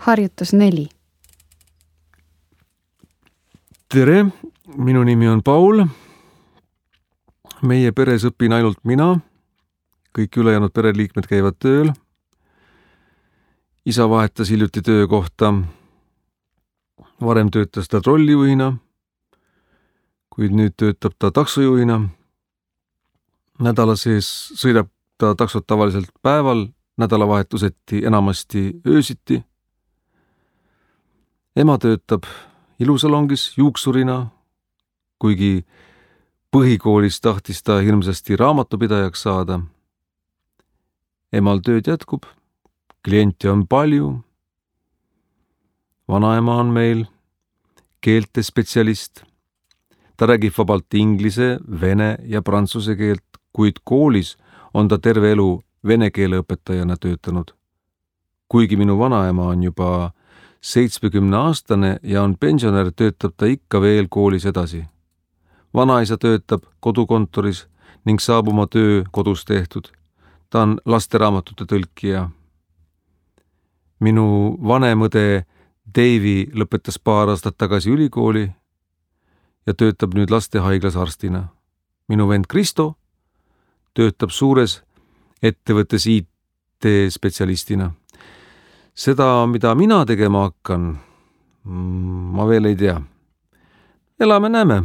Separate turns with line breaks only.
Harjutus 4.
Tere, minu nimi on Paul. Meie peres õpin ainult mina. Kõik ülejäänud pereliikmed käivad tööl. Isa vahetas hiljuti töökohta. Varem töötas ta trollijuhina, kuid nüüd töötab ta taksojuhina. Nädala sees sõidab ta taksot tavaliselt päeval, nädalavahetuseti enamasti öösiti. Ema töötab ilusalongis juuksurina, kuigi põhikoolis tahtis ta hirmsasti raamatupidajaks saada. Emal tööd jätkub, kliente on palju. Vanaema on meil keeltespetsialist. Ta räägib vabalt inglise, vene ja prantsuse keelt, kuid koolis on ta terve elu vene keele õpetajana töötanud. Kuigi minu vanaema on juba 70-aastane ja on pensionär, töötab ta ikka veel koolis edasi. Vanaisa töötab kodukontoris ning saab oma töö kodus tehtud. Ta on lasteraamatute tõlkija. Minu vanem õde Davy lõpetas paar aastat tagasi ülikooli ja töötab nüüd lastehaiglas arstina. Minu vend Kristo töötab suures ettevõttes IT-spetsialistina. Seda, mida mina tegema hakkan, ma veel ei tea. Elame näeme.